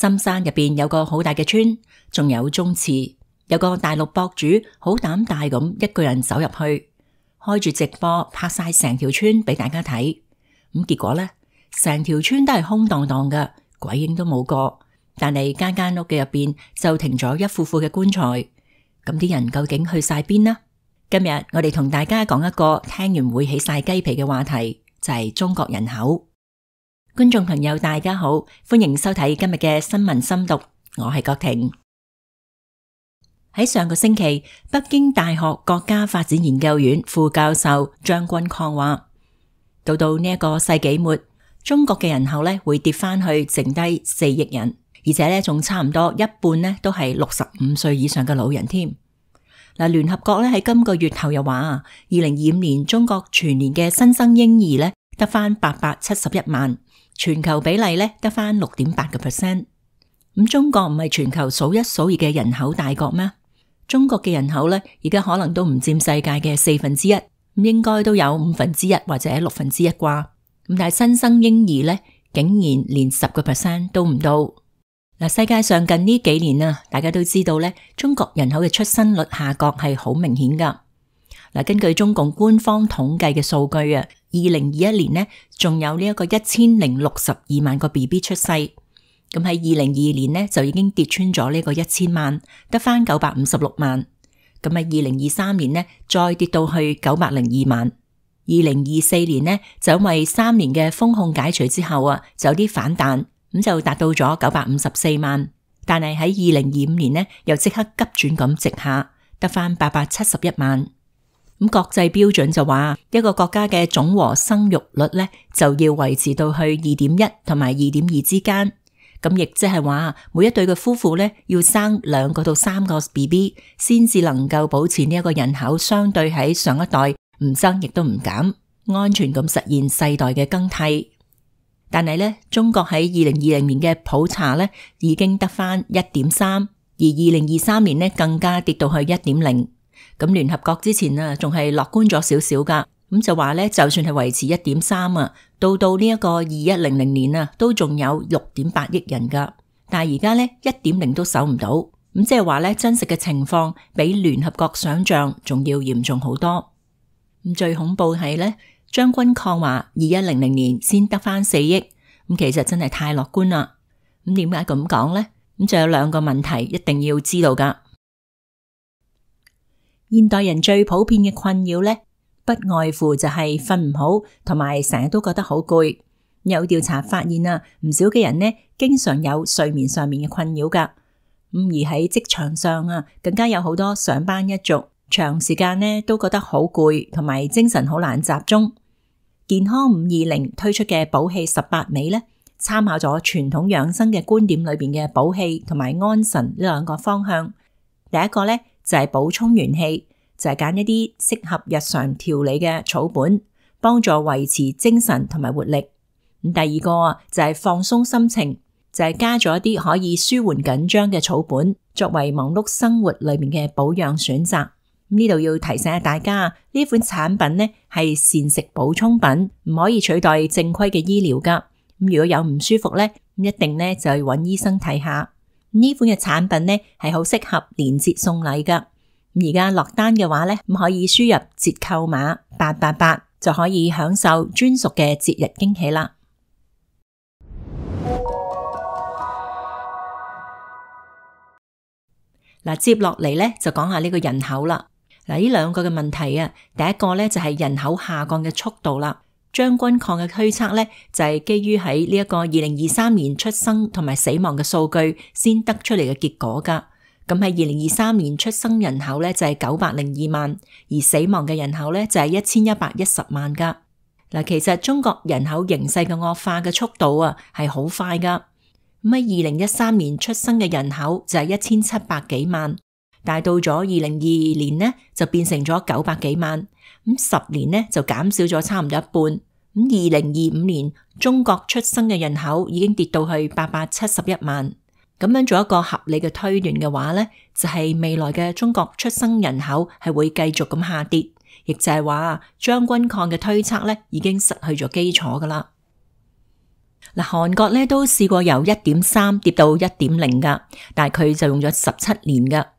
深山入邊有個好大嘅村，仲有宗祠，有個大陸博主好膽大咁一個人走入去，開住直播拍晒成條村俾大家睇。咁結果呢，成條村都係空蕩蕩嘅，鬼影都冇個。但係間間屋嘅入邊就停咗一副副嘅棺材。咁啲人究竟去晒邊呢？今日我哋同大家講一個聽完會起晒雞皮嘅話題，就係中國人口。觀眾朋友大家好，歡迎收睇今日嘅新聞深讀，我係郭婷。喺上個星期，北京大學國家發展研究院副教授張君礦話，到呢一個世紀末，中國嘅人口咧會跌翻去剩低4億人，而且咧仲差唔多一半咧都係65歲以上嘅老人添。聯合國咧喺今個月頭又話，2025年中國全年嘅新生嬰兒咧得翻871萬，全球比例咧得翻6.8%。咁中國唔係全球數一數二嘅人口大國咩？中國嘅人口咧而家可能都唔佔世界嘅1/4，應該都有1/5或者1/6啩。咁但係新生嬰兒咧竟然連10% 都唔到。世界上近呢幾年啊，大家都知道咧，中國人口嘅出生率下降係好明顯噶。根據中共官方統計嘅數據啊，2021年呢仲有呢一個1062萬個 BB 出世，咁喺2022年呢就已經跌穿咗呢個1000萬，得翻956萬。咁喺2023年呢再跌到去902萬。2024年呢就因為3年嘅封控解除之後啊，就有啲反彈。咁就達到咗954萬，但係喺2025年呢，又即刻急轉咁直下，得翻871萬。咁國際標準就話，一個國家嘅總和生育率呢，就要維持到去2.1同埋2.2之間。咁亦即係話，每一對嘅夫婦呢，要生2個到3個 BB， 先至能夠保持呢一個人口相對喺上一代唔增亦都唔減，安全咁實現世代嘅更替。但係咧，中國喺2020年嘅普查咧已經得翻1.3，而2023年咧更加跌到去1.0。咁聯合國之前啊，仲係樂觀咗少少噶，咁就話咧，就算係維持1.3啊，到呢一個2100年啊，都仲有6.8億人噶。但係而家咧1.0都守唔到，咁即係話咧，真實嘅情況比聯合國想象仲要嚴重好多。咁最恐怖係咧。張君礦話2100年先得翻4億，咁其實真係太樂觀啦。咁點解咁講呢？咁就有2個問題一定要知道噶。現代人最普遍嘅困擾呢，不外乎就係瞓唔好，同埋成日都覺得好攰。有調查發現啊，唔少嘅人呢，經常有睡眠上面嘅困擾噶。咁而喺職場上啊，更加有好多上班一族，長時間呢都覺得好攰，同埋精神好難集中。健康520推出嘅補氣18味呢，參考咗傳統養生嘅觀點裏邊嘅補氣同埋安神呢2個方向。第一個呢，就係補充元氣，就係揀一啲適合日常調理嘅草本，幫助維持精神同埋活力。咁第二個就係放鬆心情，就係加咗一啲可以舒緩緊張嘅草本，作為忙碌生活裏面嘅保養選擇。呢度要提醒下大家，呢款產品呢係膳食補充品，唔可以取代正規嘅醫療噶。咁如果有唔舒服呢，一定呢就去揾醫生睇下。呢款嘅產品呢係好適合年節送禮噶。而家落單嘅話呢，可以輸入折扣碼888，就可以享受專屬嘅節日驚喜啦。接落嚟呢就講下呢個人口啦。呢2個嘅問題啊，第一個呢就係人口下降嘅速度啦。張君礦嘅推測呢就係基於喺呢一個2023年出生同埋死亡嘅數據先得出嚟嘅結果噶。咁喺2023年出生人口呢就係902萬，而死亡嘅人口呢就係1110萬噶。其實中國人口形勢嘅惡化嘅速度啊係好快噶。咁喺2013年出生嘅人口就係1700幾萬。但係到咗2022年呢，就變成咗900幾萬，咁10年呢就減少咗差唔多一半。咁2025年中國出生嘅人口已經跌到去871萬。咁樣做一個合理嘅推斷嘅話呢，就係未來嘅中國出生人口係會繼續咁下跌，亦就係話張君礦嘅推測呢已經失去咗基礎噶啦。嗱，韓國咧都試過由 1.3 跌到 1.0 噶，但係佢就用咗17年噶。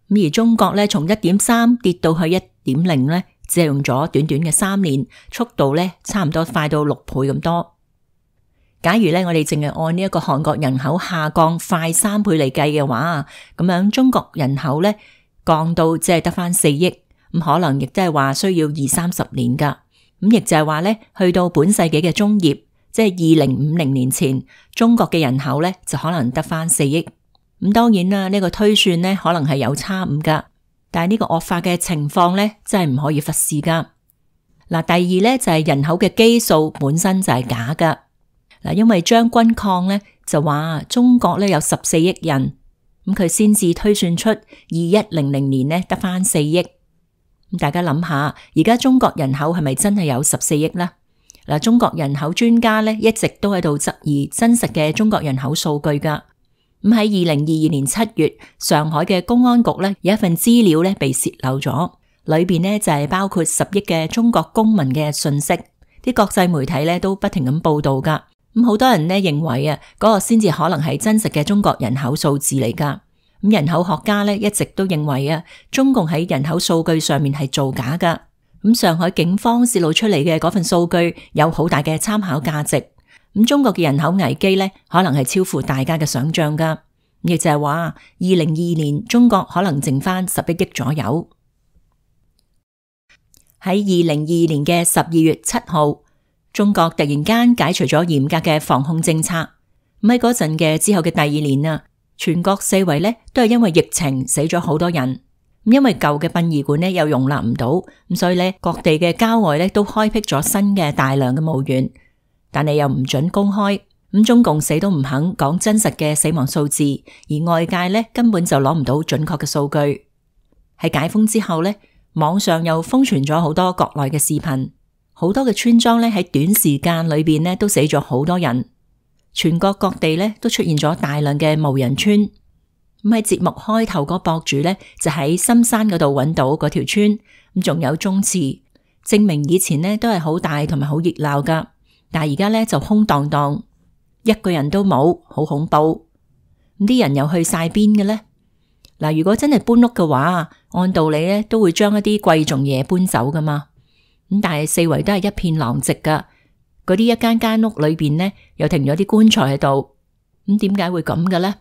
咁而中國咧從 1.3 跌到去 1.0 咧，只係用咗短短嘅3年，速度咧差唔多快到6倍咁多。假如咧我哋淨係按呢一個韓國人口下降快3倍嚟計嘅話，咁樣中國人口咧降到只係得返4億，咁可能亦都係話需要20-30年噶。咁亦就係話咧，去到本世紀嘅中葉，即係2050年前，中國嘅人口咧就可能得返4億。咁當然啦，呢個推算咧可能係有差誤噶，但係呢個惡化嘅情況咧真係唔可以忽視噶。嗱，第二咧就係人口嘅基數本身就係假噶。嗱，因為張君礦咧就話中國咧有14億人，咁佢先至推算出2100年咧得返4億。咁大家諗下，而家中國人口係咪真係有14億呢？嗱，中國人口專家咧一直都喺度質疑真實嘅中國人口數據噶。咁喺2022年7月，上海嘅公安局咧有一份資料咧被洩漏咗，裏邊咧就係包括10億嘅中國公民嘅信息，啲國際媒體咧都不停咁報道噶。咁好多人咧認為啊，嗰個先至可能係真實嘅中國人口數字嚟噶。咁人口學家咧一直都認為啊，中共喺人口數據上面係造假噶。咁上海警方洩露出嚟嘅嗰份數據有好大嘅參考價值。咁中國嘅人口危機咧可能係超乎大家嘅想象噶。亦就係話2022年中國可能剩翻11億左右。喺2022年嘅12月7號，中國突然間解除咗嚴格嘅防控政策。咁喺嗰陣嘅之後嘅第2年啊，全國四圍咧都係因為疫情死咗好多人。咁因為舊嘅殯儀館咧又容納唔到，咁所以咧各地嘅郊外咧都開闢咗新嘅大量嘅墓園，但係又唔准公開。咁中共死都唔肯講真實嘅死亡數字，而外界咧根本就攞唔到準確嘅數據。喺解封之後咧，網上又瘋傳咗好多國內嘅視頻，好多嘅村莊咧喺短時間裏邊咧都死咗好多人。全國各地咧都出現咗大量嘅無人村。咁喺節目開頭嗰博主咧就喺深山嗰度揾到嗰條村，咁仲有宗祠，證明以前咧都係好大同埋好熱鬧噶，但係而家咧就空蕩蕩。一個人都冇，好恐怖。咁啲人又去晒邊嘅呢？嗱，如果真係搬屋嘅話，按道理咧都會將一啲貴重嘢搬走噶嘛。咁但係四圍都係一片狼藉噶，嗰啲一間間屋裏邊呢，又停咗啲棺材喺度。咁點解會咁嘅呢？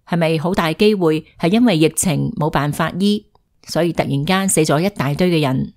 係咪好大機會係因為疫情冇辦法醫，所以突然間死咗一大堆嘅人？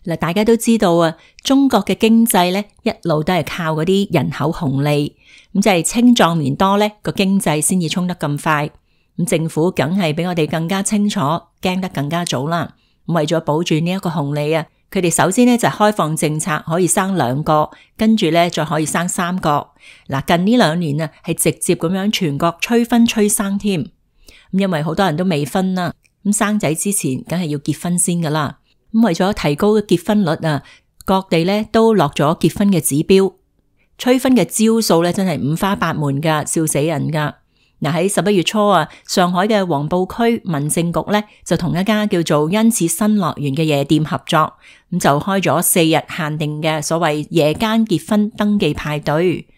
嗱，大家都知道啊，中國嘅經濟咧一路都係靠嗰啲人口紅利，咁即係青壯年多咧個經濟先至衝得咁快。咁政府梗係比我哋更加清楚，驚得更加早啦。為咗保住呢一個紅利啊，佢哋首先咧就開放政策，可以生2個，跟住咧再可以生3個。嗱，近呢2年啊，係直接咁樣全國催婚催生添。咁因為好多人都未婚啦，咁生仔之前梗係要結婚先噶啦。咁為咗提高結婚率啊，各地咧都落咗結婚嘅指標，催婚嘅招數咧真係五花八門噶，笑死人噶。嗱，喺11月初啊，上海嘅黃埔區民政局咧就同一家叫做因此新樂園嘅夜店合作，咁就開咗4日限定嘅所謂夜間結婚登記派對。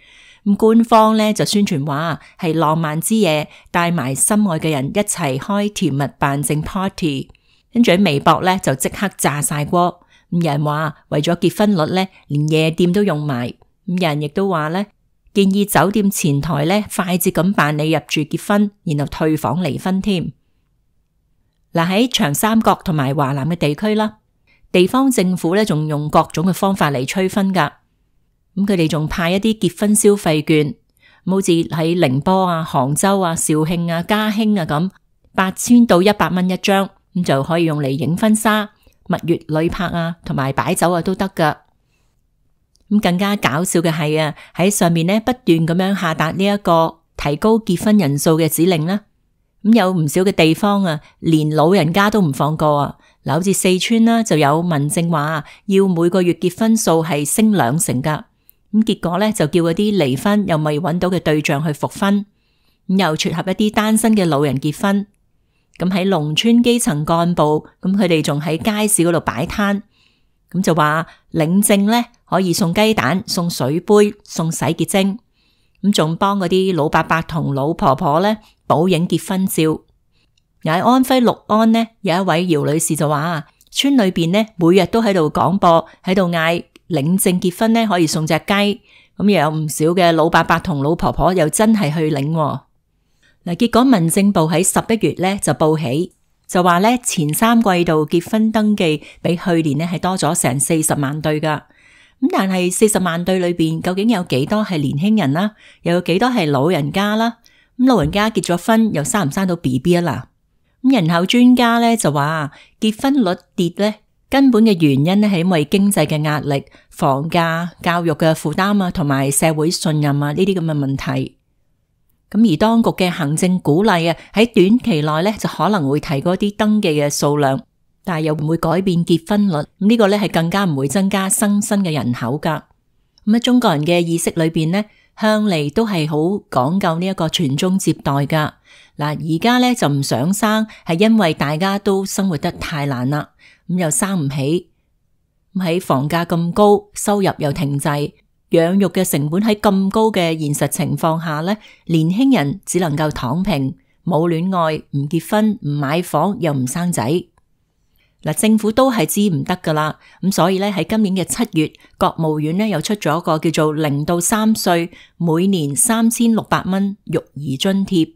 咁官方咧就宣傳話係浪漫之夜，帶埋心愛嘅人一齊開甜蜜辦證 party。跟住喺微博咧就即刻炸晒鍋，咁有人話為咗結婚率咧，連夜店都用埋。咁有人亦都話咧，建議酒店前台咧快捷咁辦理入住結婚，然後退房離婚添。嗱，喺長三角同埋華南嘅地區啦，地方政府咧仲用各種嘅方法嚟催婚噶。咁佢哋仲派一啲結婚消費券，好似喺寧波啊、杭州啊、肇慶啊、嘉興啊咁，8000到100蚊一張。咁就可以用嚟影婚紗、蜜月旅拍啊，同埋擺酒啊都得噶。咁更加搞笑嘅係啊，喺上面咧不斷咁樣下達呢一個提高結婚人數嘅指令啦。咁有唔少嘅地方啊，連老人家都唔放過啊。嗱，好似四川啦，就有民政話要每個月結婚數係升20%噶。咁結果咧就叫嗰啲離婚又未揾到嘅對象去復婚，咁又撮合一啲單身嘅老人結婚。咁喺農村基層幹部，咁佢哋仲喺街市嗰度擺攤，咁就話領證咧可以送雞蛋、送水杯、送洗潔精，咁仲幫嗰啲老伯伯同老婆婆咧補影結婚照。喺安徽六安呢，有一位姚女士就話，村裏邊呢每日都喺度廣播，喺度嗌領證結婚呢可以送隻雞，咁又有唔少嘅老伯伯同老婆婆又真係去領。嗱，結果民政部喺11月呢就報喜，就話呢前3季度結婚登記比去年呢係多咗成40萬對噶。咁但係40萬對裏邊究竟有幾多係年輕人啦，又有幾多係老人家啦？咁老人家結咗婚又生唔生到 BB 啊啦？咁人口專家咧就話結婚率跌咧根本嘅原因咧係因為經濟嘅壓力、房價、教育嘅負擔啊，同埋社會信任啊呢啲咁嘅問題。咁而當局嘅行政鼓勵啊，喺短期內咧就可能會提高啲登記嘅數量，但係又唔會改變結婚率。咁呢個咧係更加唔會增加新嘅人口噶。咁喺中國人嘅意識裏邊咧，向嚟都係好講究呢一個傳宗接代噶。嗱，而家咧就唔想生，係因為大家都生活得太難啦，咁又生唔起。咁喺房價咁高，收入又停滯，養育嘅成本喺咁高嘅現實情況下咧，年輕人只能夠躺平，冇戀愛，唔結婚，唔買房，又唔生仔。嗱，政府都係知唔得噶啦，咁所以咧喺今年嘅7月，國務院咧又出咗一個叫做0到3歲每年3600蚊育兒津貼，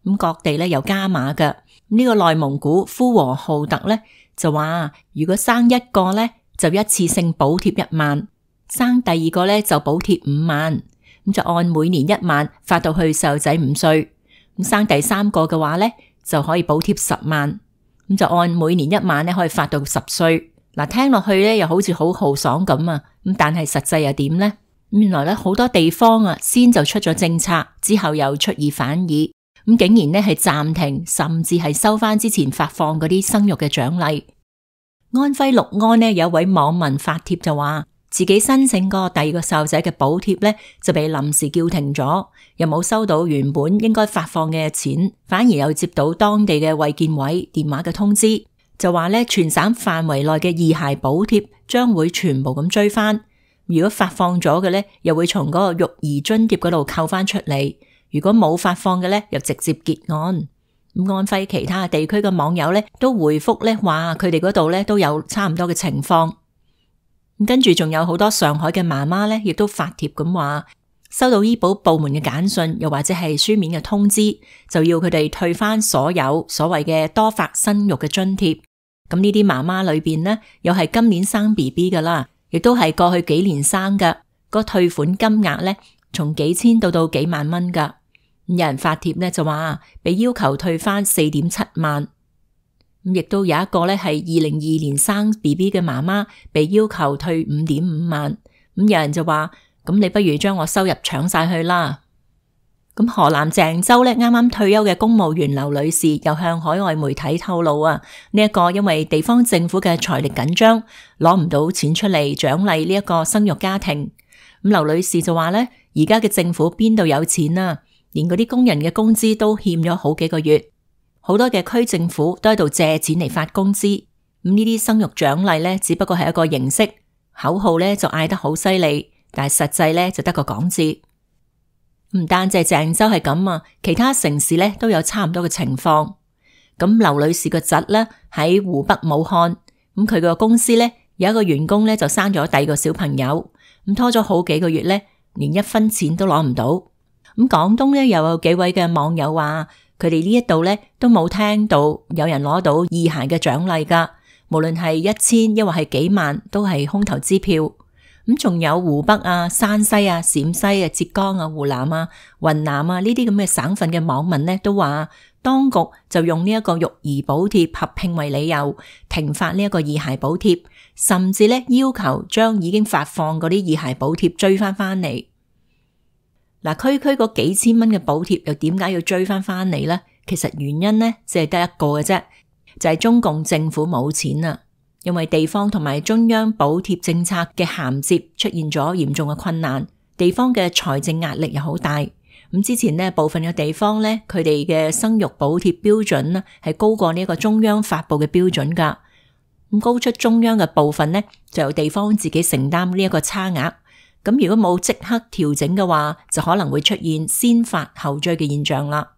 咁各地咧又加碼嘅。呢個內蒙古呼和浩特咧就話，如果生一個咧就一次性補貼1萬，生第二個咧就補貼5萬，咁就按每年1萬發到去細路仔5歲，咁生第3個嘅話咧就可以補貼10萬。咁就按每年1萬咧可以發到10歲。嗱，聽落去咧又好似好豪爽咁啊，咁但係實際又點呢？原來咧好多地方啊先就出咗政策，之後又出爾反爾，咁竟然咧係暫停，甚至係收翻之前發放嗰啲生育嘅獎勵。安徽六安呢有位網民發帖就話，自己申請過第2個細路仔嘅補貼咧就被臨時叫停咗，又冇收到原本應該發放嘅錢，反而又接到當地嘅衛健委電話嘅通知，就話咧全省範圍內嘅二孩補貼將會全部咁追翻，如果發放咗嘅咧又會從嗰個育兒津貼嗰度扣翻出嚟，如果冇發放嘅咧又直接結案。咁安徽其他地區嘅網友咧都回覆咧話佢哋嗰度咧都有差唔多嘅情況。跟住仲有好多上海嘅媽媽咧，亦都發帖咁話，收到醫保部門嘅簡訊，又或者係書面嘅通知，就要佢哋退翻所有所謂嘅多發生育嘅津貼。咁呢啲媽媽裏邊呢，又係今年生 BB 噶啦，亦都係過去幾年生噶，個退款金額咧，從幾千到幾萬蚊噶。有人發帖咧就話，被要求退翻4.7萬。亦都有一個咧係2022年生 BB 嘅媽媽，被要求退5.5萬。咁有人就話，咁你不如將我收入搶晒去啦。咁河南鄭州咧啱啱退休嘅公務員劉女士又向海外媒體透露啊，呢一個因為地方政府嘅財力緊張，攞唔到錢出嚟獎勵呢一個生育家庭。咁劉女士就話咧，而家嘅政府邊度有錢啊？連嗰啲工人嘅工資都欠咗好幾個月。好多嘅區政府都喺度借錢嚟發工資，咁呢啲生育獎勵咧，只不過係一個形式，口號咧就嗌得好犀利，但係實際咧就得個講字。唔單止係鄭州係咁啊，其他城市咧都有差唔多嘅情況。咁劉女士個侄咧喺湖北武漢，咁佢個公司咧有一個員工咧就生咗第2個小朋友，咁拖咗好幾個月咧，連1分錢都攞唔到。咁廣東咧又有幾位嘅網友話，佢哋呢一度咧都冇聽到有人攞到二孩嘅獎勵噶，無論係1000抑或係幾萬，都係空頭支票。咁仲有湖北啊、山西啊、陝西啊、浙江啊、湖南啊、雲南啊呢啲咁嘅省份嘅網民咧都話，當局就用呢一個育兒補貼合併為理由，停發呢一個二孩補貼，甚至咧要求將已經發放嗰啲二孩補貼追翻嚟。嗱，區嗰幾千蚊嘅補貼又點解要追翻嚟呢？其實原因呢，只係得一個嘅啫，就係中共政府冇錢啦，因為地方同埋中央補貼政策嘅銜接出現咗嚴重嘅困難，地方嘅財政壓力又好大。咁之前呢，部分嘅地方呢，佢哋嘅生育補貼標準呢係高過呢一個中央發佈嘅標準噶。咁高出中央嘅部分呢，就由地方自己承擔呢一個差額。咁如果冇即刻調整嘅話，就可能會出現先發後追嘅現象啦。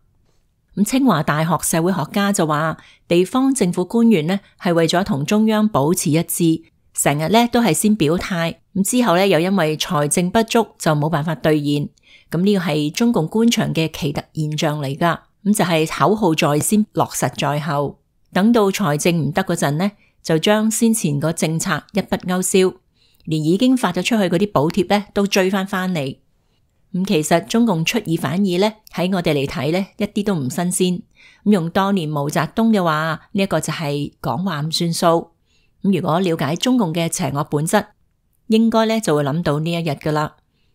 咁清華大學社會學家就話，地方政府官員呢係為咗同中央保持一致，成日呢都係先表態，咁之後呢又因為財政不足就冇辦法兌現。咁呢個係中共官場嘅奇特現象嚟噶。咁就係口號在先，落實在後。等到財政唔得嗰陣呢，就將先前個政策一筆勾銷，連已經發咗出去嗰啲補貼呢都追翻嚟。咁其實中共出爾反爾呢，喺我哋嚟睇呢，一啲都唔新鮮。咁用當年毛澤東嘅話，呢一個就係講話唔算數。咁如果了解中共嘅邪惡本質，應該呢就會諗到呢一日噶啦。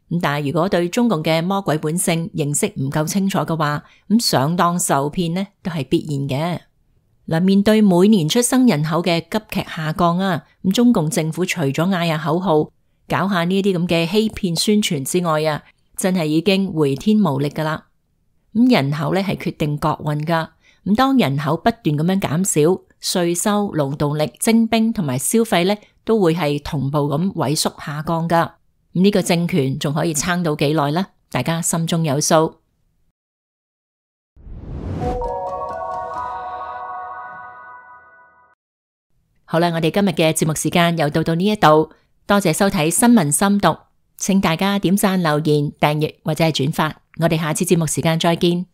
咁但係如果對中共嘅魔鬼本性認識唔夠清楚嘅話，咁上當受騙呢都係必然嘅。嗱，面對每年出生人口嘅急劇下降啊，咁中共政府除咗嗌下口號，搞下呢啲咁嘅欺騙宣傳之外啊，真係已經回天無力噶啦。咁人口咧係決定國運噶。咁當人口不斷咁樣減少，稅收、勞動力、徵兵同埋消費咧都會係同步咁萎縮下降噶。咁呢個政權仲可以撐到幾耐呢？大家心中有數。好啦，我哋今日嘅節目時間又到呢一度，多謝收睇新聞深讀，請大家點讚、留言、訂閱或者係轉發，我哋下次節目時間再見。